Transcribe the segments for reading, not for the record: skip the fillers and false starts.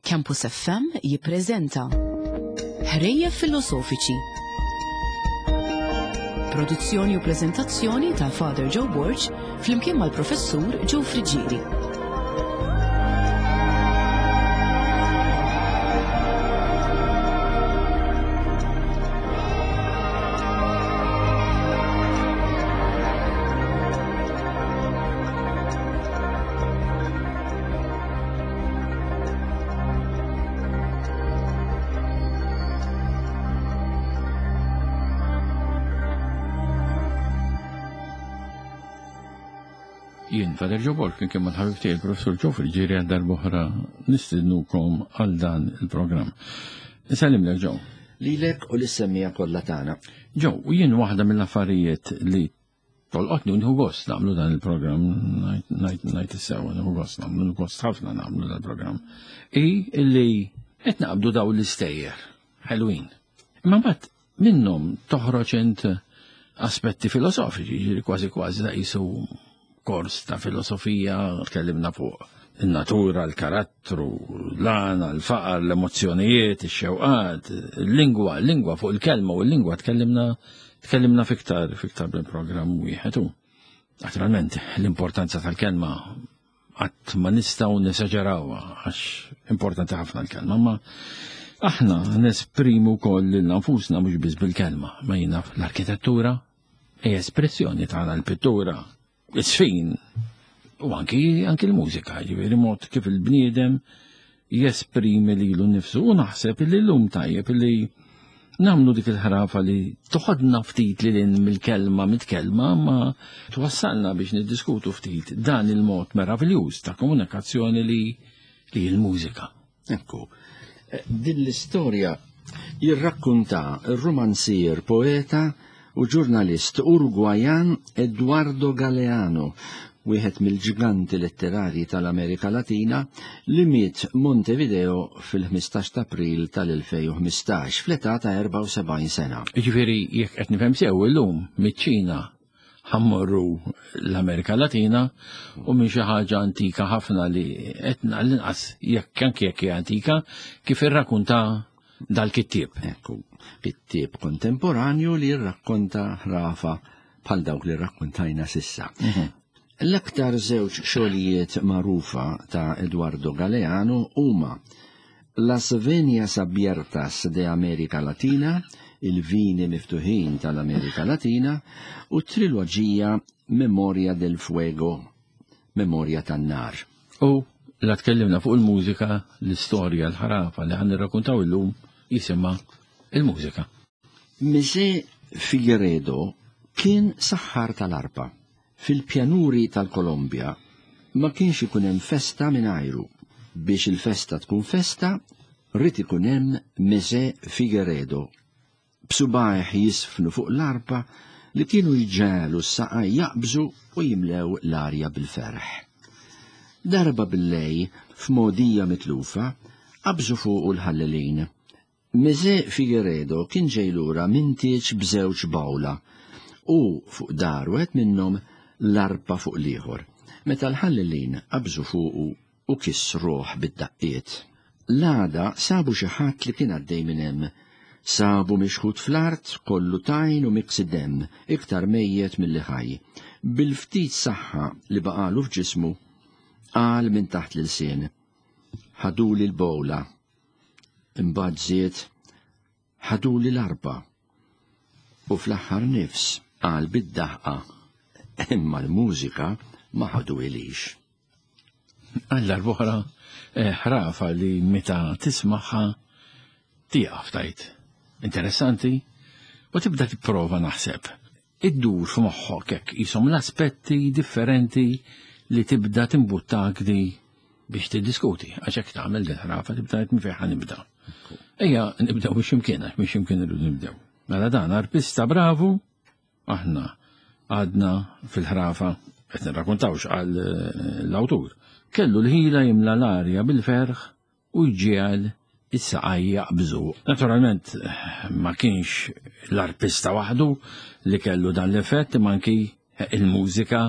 Campus FM jippreżenta Ħrejjef Filosofiċi. Produzzjoni u preżentazzjoni ta' Father Joe Borg flimkien mal-Professur Joe Friggieri. Jien Father Joe Borg, kien kemm mal-ħabib tiegħi il-Professur Joe Friggieri għal darb'oħra nistednukom għal dan il-programm. Insellimlek Joe. Lilek u lis-semmija kollha tagħna. Joe, u jien waħda mill-affarijiet li Tolqotni u nieħu gost nagħmlu dan il-programm, ngħid is-sewwa nieħu gost nagħmlu, nieħu gost ħafna nagħmlu dan il-programm. I li qed naqbdu daw l-istejjer ħelwin. Imma mbagħad minnhom toħroġ int aspetti filosofiċi, ġifieri kważi kważi da qisu kors ta' filosofija, tkellimna fuq in-natura, l-karattru, l-għana, l-faqar, l-emozzjonijiet, ix-xewqat, il-lingwa, l-lingwa fuq il-kelma u l-lingwa tkellimna tkellimna fiktar fiktar bil-programm wieħed u naturalment l-importanza tal-kelma qatt ma nistgħu nesaġerawha għax importanti ħafna l-kelma, ma aħna nesprimu wkoll lil nfusna mhux biss bil-kelma, ma jiena l-arkitettura hija espressjoni tagħna l-pittura, is-sfin u anki anki l-mużika, ġifieri mod kif il-bniedem jesprimi lilu nnifsu u naħseb li llum tajjeb li nagħmlu dik il-ħrafa li toħodna ftit li lin mill-kelma mit-kelma ma twassalna biex niddiskutu ftit dan il-mod meraviljuż ta' komunikazzjoni li li l-mużika. Ekku, eh, din l-istorja jirrakkunta r-rumanzier, poeta u ġurnalist Urugwajan Eduardo Galeano, wieħed mill-ġganti letterarji tal-Amerika Latina li miet Montevideo fil-15 ta' April tal-2015 fl-età ta' 74 sena. Jiġifieri jekk qed nifhem sew illum miċ-Ċina ħammorru l-Amerika Latina u minn xi ħaġa antika ħafna li qed l-inqas jekk anke jekk hija antika kif irrakunta dal-kittieb. Ekku, kittieb kontemporanju li jirrakkonta ħrafa bħal dawk li rrakkontajna sissa. Mhm. L-aktar żewġ xogħlijiet magħrufa ta' Eduardo Galeano huma Las Venias Abiertas de America Latina, il-Vini Miftuħin tal-Amerika Latina, u t-triloġija Memoria del Fuego, Memorja tan-Nar. U la tkellimna fuq il-mużika, l-istorja, l-ħrafa li ħan nirrakkuntaw illum jisimha il-mużika. Mise Figueredo kien saħħar tal-arpa. Fil-pjanuri tal-Kolombja ma kienx ikun hemm festa mingħajru. Biex il-festa tkun festa, ried ikun hemm Mese Figueredo, b'subgħajh jiżfnu fuq l-arpa li kienu jġegħlu s-saqaj jaqbżu u jimlew l-arja bil-ferħ. Darba billejl, f'mogħdija mitlufa, qabżu fuqu l-ħallelin. Mese Figueredo kien ġej lura minn tieġ b'żewġ bgħula u fuq dahar wieħed minnhom l-arpa fuq l-ieħor, meta l-ħallelin qabżu fuqu u kissruh bid-daqqiet. L-għada sabu xi ħadd li kien għaddej minn hemm. Sabu mixħut fl-art, kollu tajn u miksi demm, iktar mejjet milli ħaj. Bil-ftit saħħa li baqagħlu f'ġismu, qal minn taħt l-ilsien, Ħaduli l-bowla. Imbagħad żied, Ħaduli l-arpa. U fl-aħħar nifs qal bid-daħqa, Imma l-mużika ma ħaduhilix. Għal darb'oħra eh, ħrafa li meta tismagħha tieqaf tajt. Interessanti u tibda tipprova naħseb. Iddur f'moħħok hekk qishom l-aspetti differenti li tibda timbuttak di biex tiddiskuti, għax hekk tagħmel din ħrafa tibda qed minn fejn nibda. Ejja nibdew minn x'imkien għax minn x'imkien irridu nibdew. Mela dan arpista bravu, aħna għadna fil-ħrafa qed nirrakkuntawx għal eh, l-awtur. Kellu l-ħila jimla l-arja bil-ferħ u jġiegħel is-saqaj jaqbżu. Naturalment ma kienx l-arpista waħdu li kellu dan l-effett imma anki il-mużika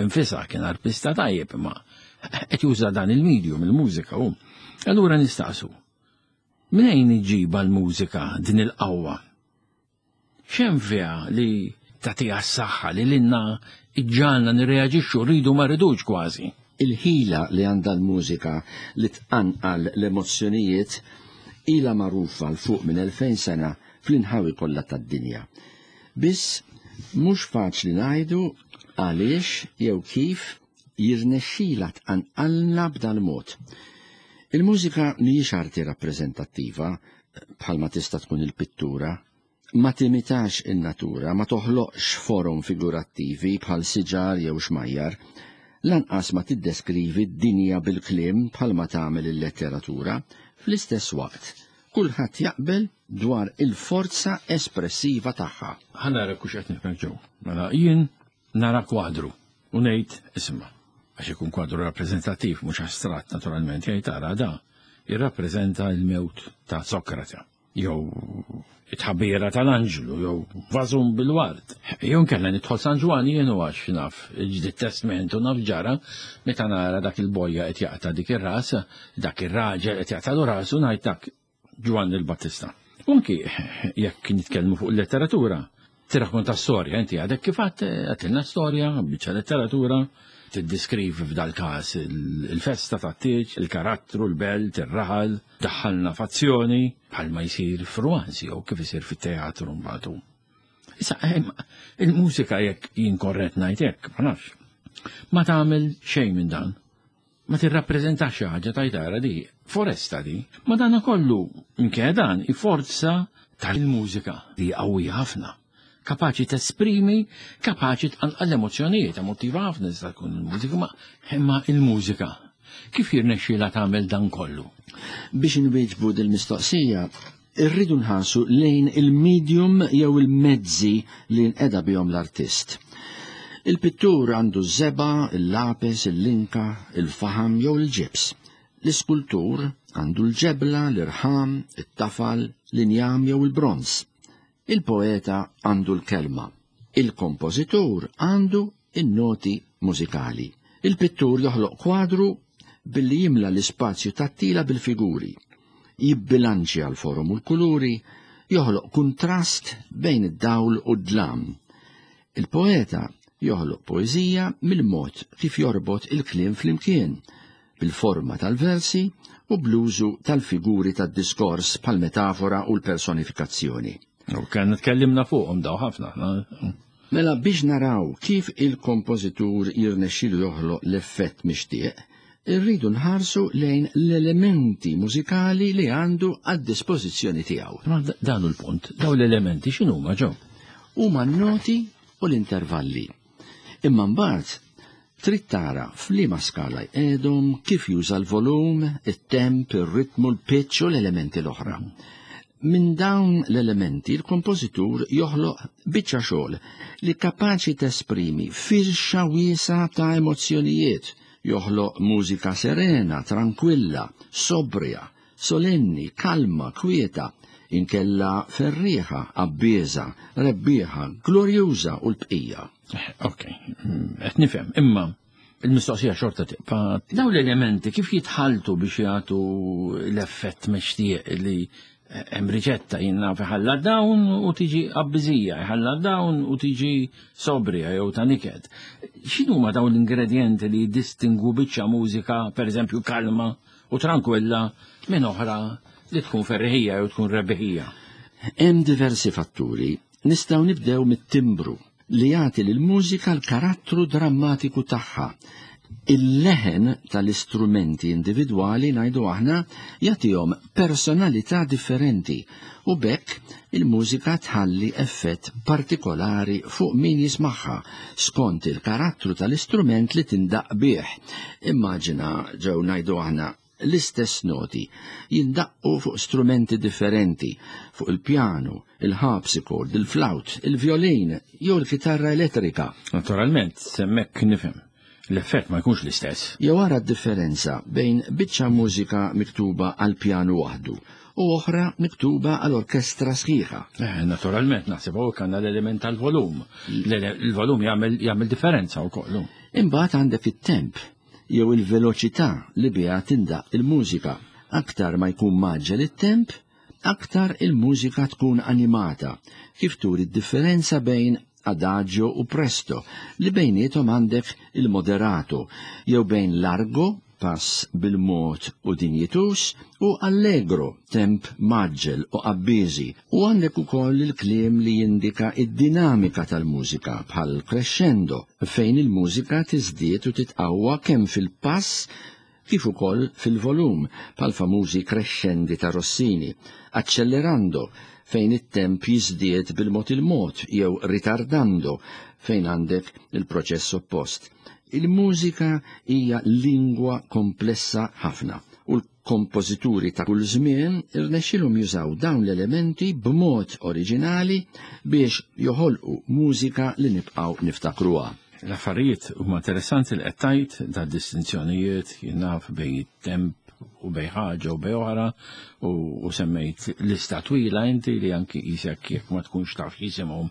infisha kien arpista tajjeb imma qed juża dan il-medium, il-mużika hu. Allura nistaqsu, minejn iġġiba l-mużika din il-qawwa? X'hemm fiha li tagħtiha s-saħħa li lilna iġġagħalna nirreaġixxu rridu ma rridux kważi? Il-ħila li għandha l-mużika li tqanqal l-emozzjonijiet ilha magħrufa 'l fuq minn 2000 sena fl-inħawi kollha tad-dinja. Biss mhux faċli ngħidu għaliex jew kif jirnexxilha tqanqalna b'dal-mod. Il-mużika mhijiex arti rappreżentattiva bħalma tista' tkun il-pittura, ma timitax in-natura, ma toħloqx forom figurattivi bħal siġar jew xmajjar, lanqas ma tiddeskrivi d-dinja bil-kliem bħalma tagħmel il-letteratura. Fl-istess waqt, kulħadd jaqbel dwar il-forza espressiva tagħha. Ħa nara kux qed nifhem ġew. Mela jien nara kwadru u ngħid isma' għax ikun kwadru rappreżentattiv mhux astratt naturalment jgħid tara da jirrappreżenta l-mewt ta' Sokrate jew it-tħabbira tal-anġlu jew vażun bil-ward. Jew nkella nidħol San Ġwann jien u għax naf il-Ġdid Testment u naf ġara meta nara dak il-bojja qed jaqta' dik ir-ras, dak ir-raġel qed jaqtagħlu rasu ngħid dak Ġwanni l-Battista. U anki jekk nitkellmu fuq il-letteratura, tirrakkonta storja, inti għadek kif għedtilna storja, biċċa letteratura, tiddiskrivi f'dal-każ il-festa tat-tieġ, il-karattru, l-belt, ir-raħal, daħħalna f'azzjoni bħalma jsir f'rumanzi jew kif isir fit-teatru mbagħad. Issa, il-mużika jekk jien korrett ngħid hekk, ma nafx. Ma tagħmel xejn minn dan. Ma tirrappreżentax xi ħaġa tajt ara di, foresta di. Ma dana kollu, minkejja dan, i forza tal-mużika li qawwija ħafna. Kapaċi tesprimi, kapaċi tqanqal l-emozzjonijiet, emotiva ħafna tista' tkun il-mużika, ma imma il-mużika kif jirnexxielha tagħmel dan kollu? Biex inwieġbu dil-mistoqsija, irridu nħarsu lejn il-medium jew il-mezzi li nqeda bihom l-artist. Il-pittur għandu ż-żebgħa, il-lapes, il-linka, il-faħam jew il-ġibs. L-iskultur għandu l-ġebla, l-irħam, it-tafal, l-injam jew il-bronż. Il-poeta għandu l-kelma. Il-kompożitur għandu in-noti mużikali. Il-pittur joħloq kwadru billi jimla l-ispazju tat-tila bil-figuri, jibbilanċja l-forom u l-kuluri, joħloq kuntrast bejn id-dawl u d-dlam. Il-poeta joħloq poeżija mill-mod kif jorbot il-kliem flimkien, bil-forma tal-versi u bl-użu tal-figuri tad-diskors bħall-metafora u l-personifikazzjoni. U kien tkellimna fuqhom daw ħafna. Mela biex naraw kif il-kompożitur jirnexxilu joħloq l-effett mixtieq, irridu nħarsu lejn l-elementi mużikali li għandu għad-dispożizzjoni tiegħu. Ma dan hu l-punt, daw l-elementi x'inhuma ġew? Huma n-noti u l-intervalli. Imma mbagħad trid tara f'liema skala jqegħdhom, kif juża l-volum, it-temp, ir-ritmu, l-pitch u l-elementi l-oħra. Minn dawn l-elementi l-kompożitur joħloq biċċa xogħol li kapaċi tesprimi firxa wiesgħa ta' emozzjonijiet, joħloq mużika serena, trankwilla, sobrja, solenni, kalma, kwieta, inkella ferrieħa, abbieża, rebbieħa, glorjuża u l-bqija. Ok, qed nifhem, imma il-mistoqsija xorta tibqa'. Dawn l-elementi kif jitħalltu biex jagħtu l-effett mixtieq li hemm riċetta jien naf iħalla dawn u tiġi abbiżija, iħalla dawn u tiġi sobrija jew ta' niket. X'inhuma dawn l-ingredjenti li jiddistingwu biċċa mużika, pereżempju kalma u trankwilla minn oħra li tkun ferriħija jew tkun rebbieħija? Hemm diversi fatturi. Nistgħu nibdew mit-timbru li jagħti lill-mużika l-karattru drammatiku tagħha. Il-leħen tal-istrumenti individwali ngħidu aħna jagħtihom personalità differenti u b'hekk il-mużika tħalli effett partikolari fuq min jismagħha skont il-karattru tal-istrument li tindaqq bih. Immaġina ġew ngħidu aħna l-istess noti jindaqqu fuq strumenti differenti, fuq il-pjanu, il-harpsichord, il-flawt, il-vjolin jew il-kitarra elettrika. Naturalment, s'hemmhekk nifhem. L-effett ma jkunx l-istess. Jew ara d-differenza bejn biċċa mużika miktuba għall-pjanu waħdu u oħra miktuba għal orkestra sħiħa. Naturalment, naħseb hawnhekk għandna l-element tal-volum. Il-volum jagħmel differenza wkoll. Imbagħad għandek it-temp jew il-veloċità li biha tindaqq il-mużika. Aktar ma jkun mgħaġġel it-temp, aktar il-mużika tkun animata, kif turi d-differenza bejn adagio u presto, li bejniethom għandek il-moderato, jew bejn largo, pass bil-mod u dinjituż, u allegro, temp mgħaġġel u qabbiżi, u għandek ukoll il-kliem li jindika d-dinamika tal-mużika, bħal crescendo, fejn il-mużika tiżdied u titqawwa kemm fil-pass kif ukoll fil-volum, bħall-famużi crescendi ta' Rossini, accelerando, fejn it-temp jiżdied bil-mod il-mod, jew ritardando, fejn għandek il-proċess oppost. Il-mużika hija lingwa komplessa ħafna u l-kompożituri ta' kull żmien irnexxielhom jużaw dawn l-elementi b'mod oriġinali biex joħolqu mużika li nibqgħu niftakruha. L-affarijiet huma interessanti li qed tgħid da distinzjonijiet jien naf bejn it-temp u bejn ħaġa u bejn oħra u semmejt lista twila inti li anki qisek jekk ma tkunx taf x'jisimhom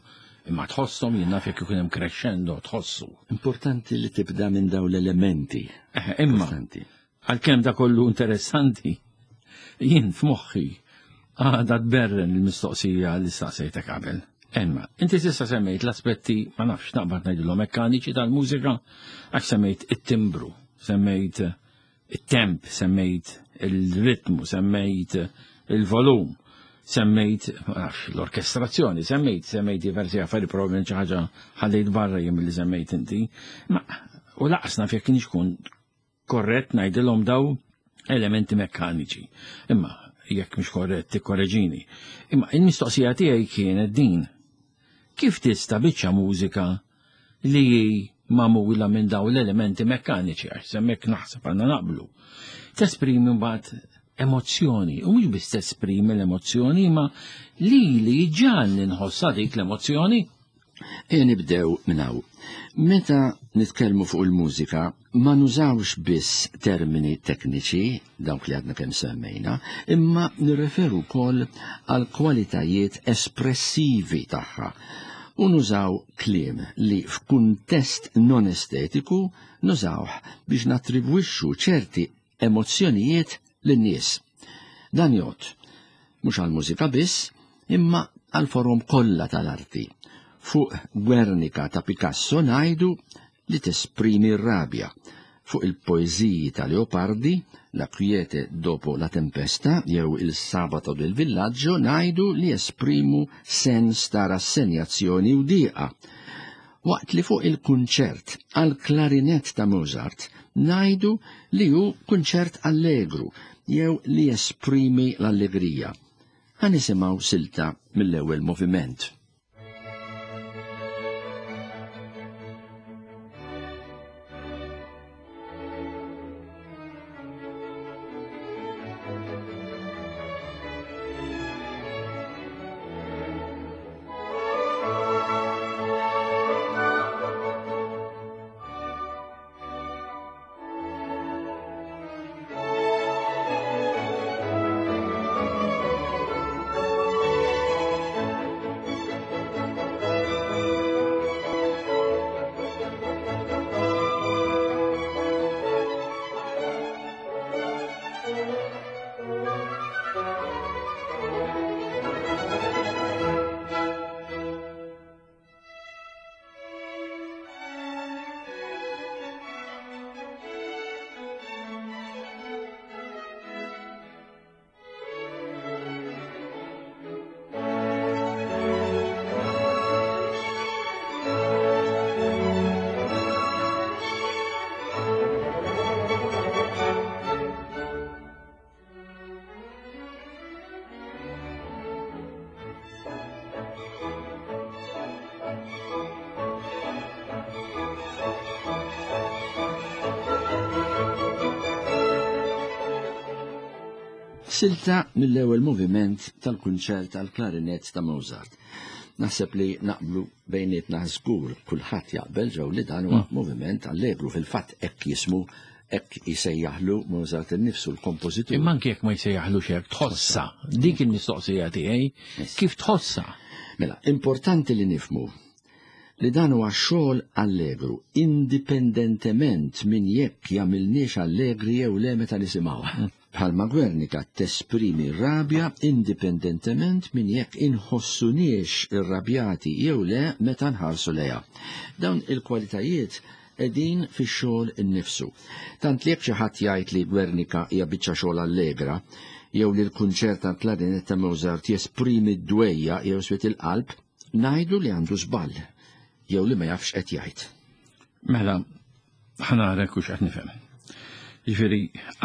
imma tħosshom jien naf jekk ikun hemm crescendo tħossu. Importanti li tibda minn dawn l-elementi. Imma għalkemm da kollu interessanti, jien f'moħħi għadha tberren il-mistoqsija li staqsejtek qabel. Imma, inti s'issa semmejt l-aspetti, ma nafx naqbad ngħidilhom mekkaniċi tal-mużika, għax semmejt it-timbru, semmejt it-temp, semmejt il-ritmu, semmejt il-volum, semmejt, ma nafx, l-orkestrazzjoni, semmejt, semmejt diversi affarijiet, probabbilment xi ħaġa ħallejt barra jien milli semmejt inti. Ma, u laqas naf jekk kienx kun korrett ngħidilhom daw elementi mekkaniċi. Imma jekk mhux korrett tikkoreġini. Imma il-mistoqsija tiegħi kienet din. Kif tista' biċċa mużika li hi magħmula minn dawn l-elementi mekkaniċi, għax semmek naħseb għandna naqblu, tesprimi mbagħad emozzjoni, u mhux biss tesprimi l-emozzjoni, imma li li ġan nħossha dik l-emozzjoni. Ejja nibdew minn hawn. Meta nitkellmu fuq il-mużika, ma nużawx biss termini tekniċi, dawk li għadna kemm semmejna, imma nirreferu wkoll għal kwalitajiet espressivi tagħha u nużaw kliem li f'kuntest non estetiku nużawh biex nattribwixxu ċerti emozzjonijiet lin-nies. Dan jgħodd mhux għall-mużika biss, imma għall-forom kollha tal-arti. Fuq Guernica ta' Picasso ngħidu li tesprimi r-rabja. Fuq il-poeżiji ta' Leopardi, La quiete dopo la tempesta jew Il sabato del villaggio ngħidu li jesprimu sens ta' rassenjazzjoni u dieqa. Waqt li fuq il-kunċert għall-klarinett ta' Mozart ngħidu li hu kunċert allegru jew li jesprimi l-allegrija. Ħa nisimgħu silta mill-ewwel moviment. Silta mill-ewwel moviment tal-kunċert għall-klarinett ta' Mozart. Naħseb li naqblu bejnietna żgur kulħadd jaqbel ġew li dan huwa mm. moviment allegru fil-fatt hekk jismu hekk jsejjaħlu Mozart innifsu l-kompożitur. Imma anke jekk ma jsejjaħlux hekk tħossha. Dik il-mistoqsija tiegħi kif tħossha. Mela, importanti li nifhmu li dan huwa xogħol allegru indipendentement minn jekk jagħmilniex allegri jew le meta nisimgħuha. Bħalma Guernica tesprimi rabja indipendentement minn jekk inħossuniex irrabjati jew le meta nħarsu lejha. Dawn il-kwalitajiet qegħdin fix-xogħol innifsu. Tant li jekk xi ħadd jgħid li Guernica hija biċċa xogħol allegra, jew li l-kunċert tal-klarinett ta' Mozart jesprimi d-dwejja jew swiet il-qalb, ngħidu li għandu żball jew li ma jafx qed jgħid. Mela, ħanarek u x'qed nifhem. Ġifieri,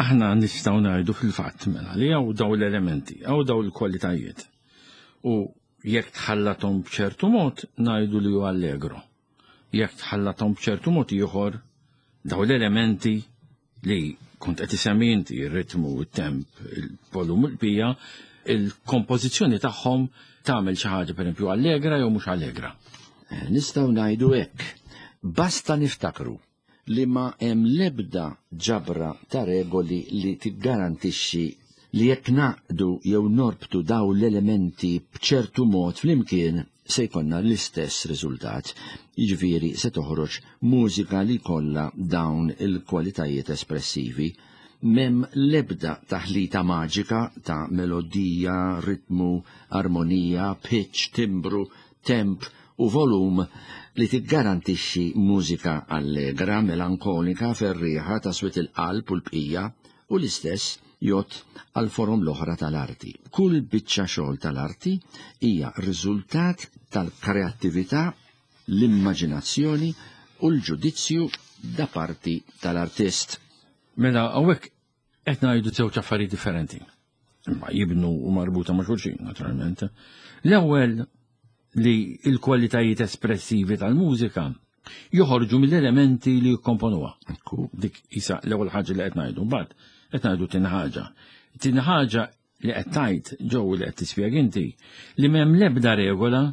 aħna nistgħu ngħidu fil-fatt mela li hawn daw l-elementi, hawn daw l-kwalitajiet. U jekk tħallathom b'ċertu mod ngħidu li hu allegro. Jekk tħallathom b'ċertu mod ieħor daw l-elementi li kont qed isemmi inti ir-ritmu, it-temp, il-volum u l-bija, il-kompożizzjoni tagħhom tagħmel xi ħaġa pereżempju allegra jew mhux allegra. Eh, nistgħu ngħidu hekk. Basta niftakru li ma hemm l-ebda ġabra ta' regoli li tiggarantixxi li jekk naqdu jew norbtu daw l-elementi b'ċertu mod flimkien se jkollna l-istess riżultat, jiġifieri se toħroġ mużika li jkollha dawn il-kwalitajiet espressivi. M'hemm l-ebda taħlita maġika ta' melodija, ritmu, armonija, pitch, timbru, temp u volum li tiggarantixxi mużika allegra, melankolika, ferrieħa, ta' swied il-qalb u l-bqija, u l-istess jgħodd għall-forom l-oħra tal-arti. Kull biċċa xogħol tal-arti hija riżultat tal-kreattività, l-immaġinazzjoni u l-ġudizzju da parti tal-artist. Mela hawnhekk qed ngħidu żewġ affarijiet differenti. Imma jibnu u marbuta ma' xulxin, naturalment. L-ewwel li l-kwalitajiet espressivi tal-mużika joħorġu mill-elementi li jikkomponuha. Dik isa l-ewwel ħaġa li qed ngħidu. Mbagħad qed ngħidu tieni ħaġa. Tieni ħaġa li qed tgħid ġew li qed tispjega inti li m'hemm l-ebda regola,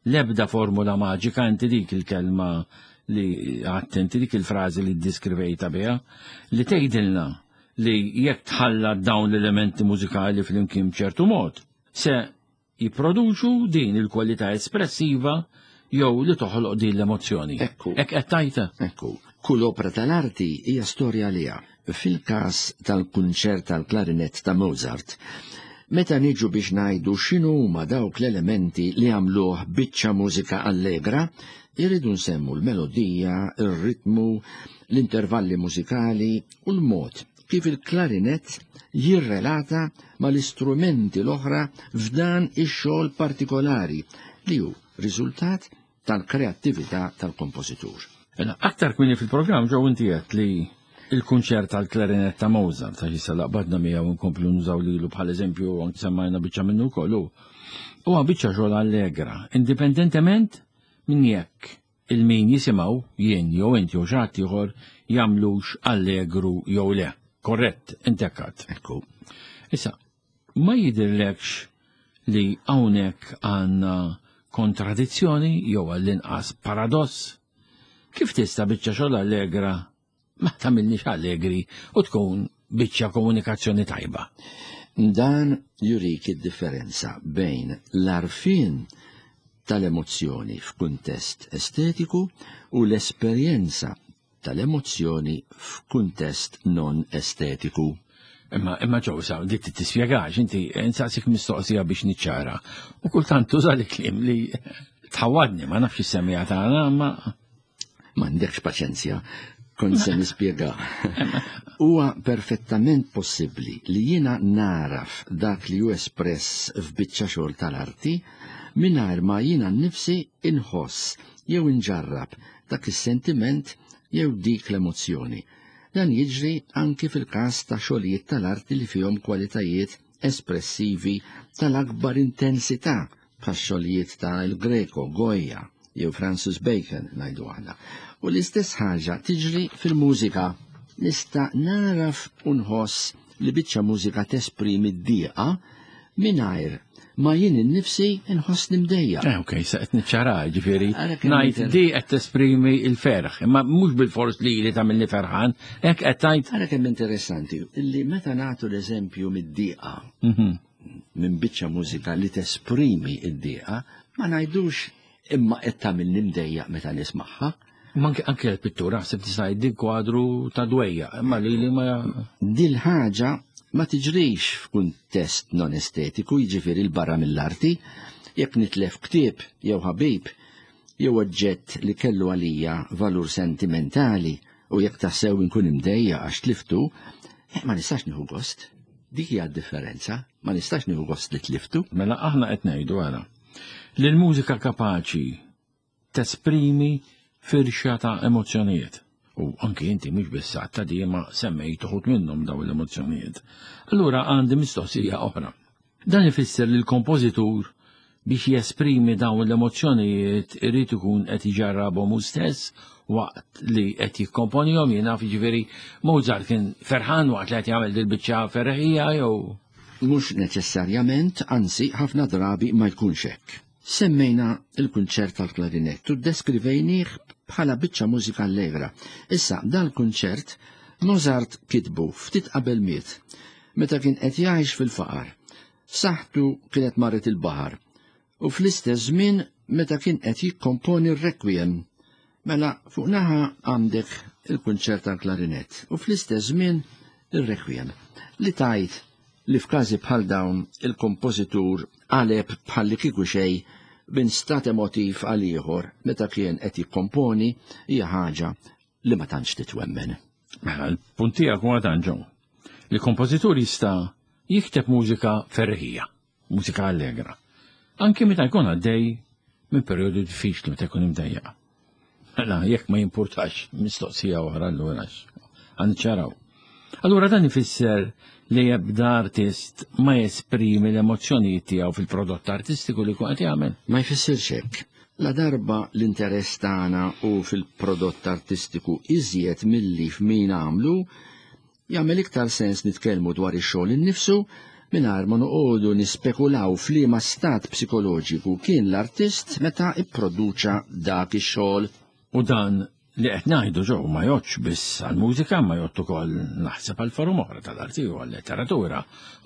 l-ebda formula maġika inti dik il-kelma li għadt inti dik il-frażi li ddiskrivejta biha li tgħidilna li jekk tħallat dawn l-elementi mużikali flimkien b'ċertu mod se jipproduċu din il-kwalità espressiva jew li toħloq din l-emozzjoni. Ekku. Hekk qed tgħid? Ekku. Kull opra tal-arti hija storja għaliha. Fil-każ tal-kunċert tal-klarinett ta' Mozart, meta niġu biex ngħidu x'inhuma dawk l-elementi li għamluh biċċa mużika allegra, irridu nsemmu l-melodija, ir-ritmu, l-intervalli mużikali u l-mod kif il-klarinett jirrelata mal-istrumenti l-oħra f'dan ix-xogħol partikolari li hu riżultat tal-kreattività tal-kompożitur. Mela, aktar kmieni fil-programm ġew inti għedt li il-kunċert tal-klarinett ta' Mozart, għax issa laqbadna miegħu nkomplu nużaw lilu bħal eżempju anki semmajna biċċa minnu wkoll hu. Huwa biċċa xogħol allegra, indipendentement minn jekk il-min jisimgħu, jien jew int jew xi ħadd ieħor, jagħmlux allegru jew le. Korrett, int hekk għadt. Ekku. Issa, ma jidhirlekx li hawnhekk għandna kontradizzjoni jew għall-inqas paradoss? Kif tista' biċċa xogħol allegra ma tagħmilniex allegri u tkun biċċa komunikazzjoni tajba? Dan jurik id-differenza bejn l-għarfien tal-emozzjoni f'kuntest estetiku u l-esperjenza tal-emozzjoni f'kuntest non estetiku. Imma imma ġew sa dik tispjegax inti nsaqsik mistoqsija biex niċċara. U kultant tuża li kliem li tħawadni ma nafx is-semija tagħna ma M'għandekx paċenzja, kont se nispjega. Huwa perfettament possibbli li jiena naraf dak li hu espress f'biċċa xogħol tal-arti mingħajr ma jiena nnifsi inħoss jew inġarrab dak is-sentiment jew dik l-emozzjoni. Dan jiġri anki fil-każ ta' xogħlijiet tal-arti li fihom kwalitajiet espressivi tal-akbar intensità bħax-xogħlijiet ta' El Greco, Goya jew Francis Bacon ngħidu aħna. U l-istess ħaġa tiġri fil-mużika. Nista' naraf u nħoss li biċċa mużika tesprimi d-dieqa mingħajr ma jien innifsi nħossni mdejjaq. Eh, ok, sa qed niċċara, ġifieri ngħid di qed tesprimi l-ferħ, imma mhux bil-fors li li tagħmilni ferħan, hekk qed tgħid. Ara kemm interessanti illi meta nagħtu l-eżempju mid-dieqa minn biċċa mużika li tesprimi d-dieqa, ma ngħidux imma qed tagħmilni mdejjaq meta nismagħha. Ma anke l-pittura ħseb tista' jgħid kwadru ta' dwejja, imma li li ma Dil ħaġa ma tiġrix f'kuntest non estetiku, jiġifieri 'l barra mill-arti, jekk nitlef ktieb jew ħabib jew oġġett li kellu għalija valur sentimentali u jekk tassew inkun imdejjaq għax tliftu, eh, ma nistax nieħu gost. Dik hija d-differenza, ma nistax nieħu gost li tliftu. Mela aħna qed ngħidu ara li l-mużika kapaċi tesprimi firxa ta' emozzjonijiet. U anki inti mhux biss ta' di ma semmejt uħud minnhom dawn l-emozzjonijiet. Allura għandi mistoqsija oħra. Dan ifisser li l-kompożitur biex jesprimi dawn l-emozzjonijiet irid ikun qed iġarrabhom hu stess waqt li qed jikkomponihom jien naf jiġifieri Mozart kien ferħan waqt li qed jagħmel dil-biċċa ferreħija jew Mhux neċessarjament, anzi ħafna drabi ma jkunx hekk. Semmejna l-kunċert tal-klarinett u ddeskrivejnih bħala biċċa mużika allegra. Issa dal-kunċert Mozart kitbu ftit qabel miet, meta kien qed jgħix fil-faqar. Saħħtu kienet marret il-baħar u fl-istess żmien meta kien qed jikkomponi r-Requiem. Mela fuq naħa għandek il-kunċert tal-klarinett u fl-istess żmien ir-Requiem. Li tgħid li f'każi bħal dawn il-kompożitur qaleb bħal li kieku xejn minn stat emotiv għal ieħor meta kien qed jikkomponi hija ħaġa li ma tantx titwemmen. Mela, l-punt tiegħek huwa dan ġew. Li kompożitur jista' jikteb mużika ferrħija, mużika allegra. Anki meta jkun għaddej minn perjodu diffiċli meta jkun imdejjaq. Mela, jekk ma jimpurtax, mistoqsija oħra allura ċaraw. Allura dan ifisser li ebda artist ma jesprimi l-emozzjonijiet tiegħu fil-prodott artistiku li jkun qed jagħmel. Ma jfissirx hekk. Ladarba l-interess tagħna hu fil-prodott artistiku iżjed milli f'min għamlu, jagħmel iktar sens nitkellmu dwar ix-xogħol innifsu mingħajr ma noqogħdu nispekulaw f'liema stat psikoloġiku kien l-artist meta pproduċa dak ix-xogħol. U dan li qed ngħidu ġew ma jgħoddx biss għall-mużika ma jgħodd ukoll naħseb għal forum oħra tal-arti u għal-letteratura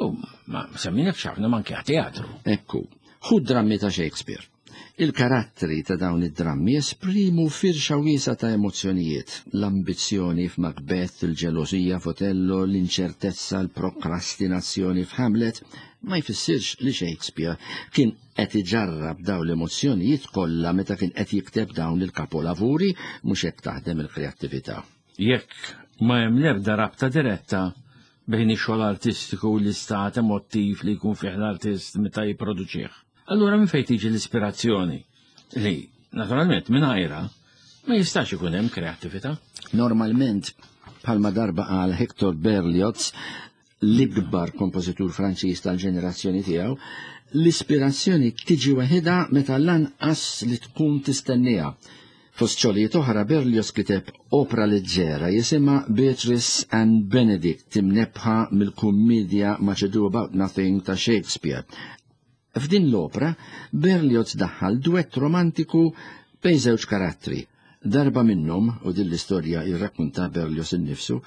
u ma semmilekx ħafna manki għat-teatru. Ekku, ħu drammi ta' Shakespeare. Il-karattri ta' dawn id-drammi jesprimu firxa wiesgħa ta' emozzjonijiet, l-ambizzjoni f'Macbeth, il-ġelożija f'Otello, l-inċertezza, l-prokrastinazzjoni f'Hamlet, ma jfissirx li Shakespeare kien qed iġarrab dawn l-emozzjonijiet kollha meta kien qed jikteb dawn il-kapolavuri, mhux hekk taħdem il-kreattività. Jekk ma hemm l-ebda rabta diretta bejn ix-xogħol artistiku u l-istat emottiv li jkun fih l-artist meta jipproduċih. Allura minn fejn tiġi l-ispirazzjoni li, naturalment, mingħajrha ma jistax ikun hemm kreattività? Normalment, bħalma darba qal Hector Berlioz, l-ikbar kompożitur Franċiż tal-ġenerazzjoni tiegħu, l-ispirazzjoni tiġi waħidha meta lanqas li tkun tistenniha. Fost xogħlijiet oħra Berlioz kiteb opra leġġera jisimha Beatrice and Benedict imnebbħa mill-kummedja Much Ado About Nothing ta' Shakespeare. F'din l-opra, Berlioz daħħal duett romantiku bejn żewġ karattri. Darba minnhom, u din l-istorja jirrakkunta Berlioz innifsu,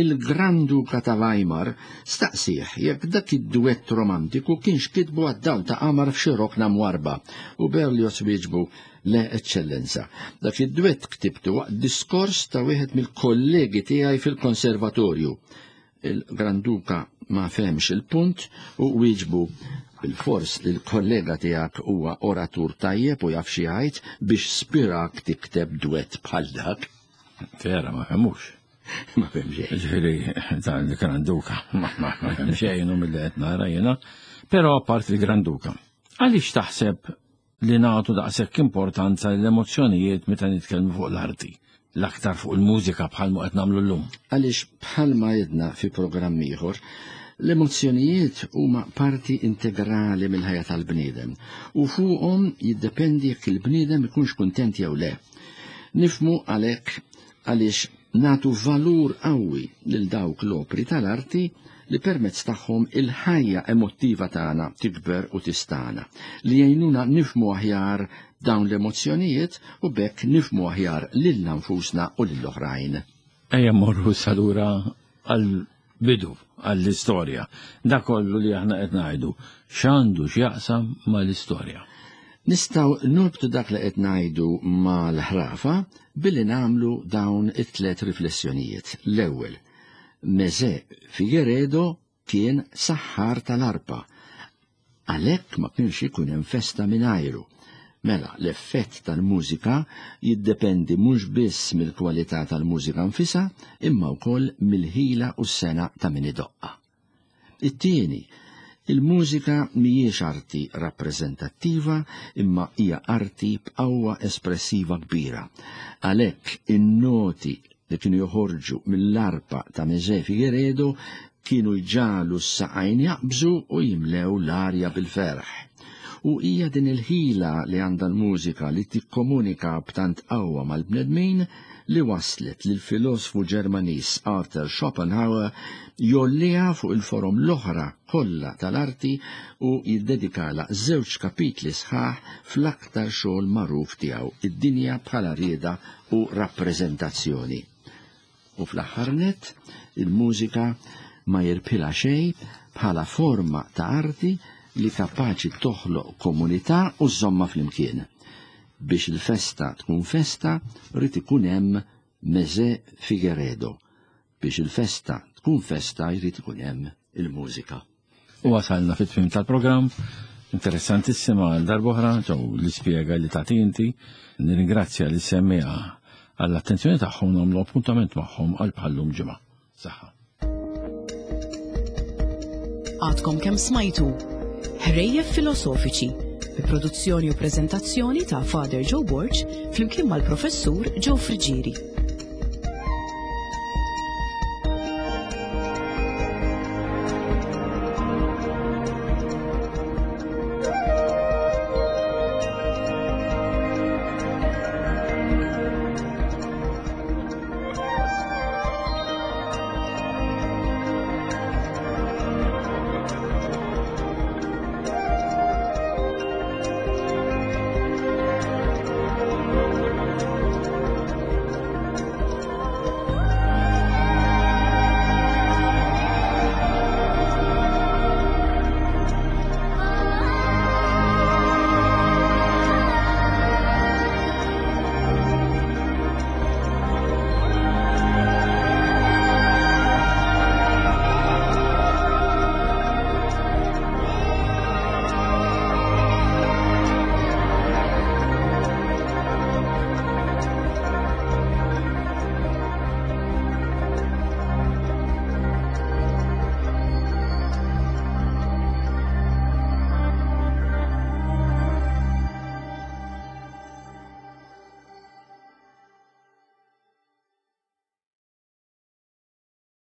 il-Gran Duka ta' Weimar staqsieh jekk dak id-duett romantiku kienx kitbu għad-dawl ta' qamar f'xi rokna mwarrba, u Berlioz wieġbu, Le, Eċċellenza, dak id-duett ktibtu waqt diskors ta' wieħed mill-kollegi tiegħi fil-konservatorju. Il-Gran Duka ma fehmx il-punt u wieġbu, Bilfors li l-kollega tiegħek huwa oratur tajjeb u jaf xi jgħid biex spirak tikteb dwett bħal dak. Vera, ma fehmux. Ma fehem xejn. Ġifieri, dan il-Gran Duka, ma fehem xejn u milli qed nara jiena. Però apart il-Gran Duka, għaliex taħseb li nagħtu daqshekk importanza lill-emozzjonijiet meta nitkellmu fuq l-arti, l-aktar fuq il-mużika bħalma qed nagħmlu llum. Għaliex bħalma għedna fi programm ieħor, l-emozzjonijiet huma parti integrali mill-ħajja tal-bniedem u fuqhom jiddependi jekk il-bniedem ikunx kuntent jew le. Nifhmu għalhekk għaliex nagħtu valur qawwi lil dawk l-opri tal-arti li permezz tagħhom il-ħajja emottiva tagħna tikber u tistagħna, li jgħinuna nifhmu aħjar dawn l-emozzjonijiet u b'hekk nifhmu aħjar lilna nfusna u lill-oħrajn. Ejja mmorru issa lura għall-bidu, għall-istorja. Dak kollu li aħna qed ngħidu, x'għandu x'jaqsam mal-istorja? Nistgħu norbtu dak li qed ngħidu mal-ħrafa billi nagħmlu dawn it-tliet riflessjonijiet. L-ewwel, Mezè Figueredo kien saħħar tal-arpa. Għalhekk ma kienx ikun hemm festa mingħajru. Mela, l-effett tal-mużika jiddependi mhux biss mill-kwalità tal-mużika nfisha, imma wkoll mill-ħila u s-sengħa ta' min idoqqha. It-tieni, il-mużika mhijiex arti rappreżentattiva imma hija arti b'qawwa espressiva kbira. Għalhekk in-noti li kienu joħorġu mill-arpa ta' Mezè Figueredo kienu jġagħlu s-saqajn jaqbżu u jimlew l-arja bil-ferħ. U hija din il-ħila li għandha l-mużika li tikkomunika b'tant qawwa mal-bnedmin li wasslet lill-filosfu Ġermaniż Arthur Schopenhauer jgħolliha fuq il-forom l-oħra kollha tal-arti u jiddedikalha żewġ kapitli sħaħ fl-aktar xogħol magħruf tiegħu, Id-Dinja bħala Rieda u Rappreżentazzjoni. U fl-aħħar nett, il-mużika ma jirbħilha xejn bħala forma ta' arti li kapaċi toħloq komunità u żżommha flimkien. Biex il-festa tkun festa, jrid ikun hemm Mezè Figueredo. Biex il-festa tkun festa jrid ikun hemm il-mużika. U wasalna fit-tmiem tal-programm. Interessantissima għal darb'oħra, ġew l-ispjega li tagħti inti. Nirringrazzja li semmiha għall-attenzjoni tagħhom nagħmlu appuntament magħhom għal bħallum ġimgħa. Saħħa. Għadkom kemm smajtu Ħrejjef Filosofiċi bi produzzjoni u preżentazzjoni ta' Father Joe Borg flimkien mal-Professur Joe Friggieri.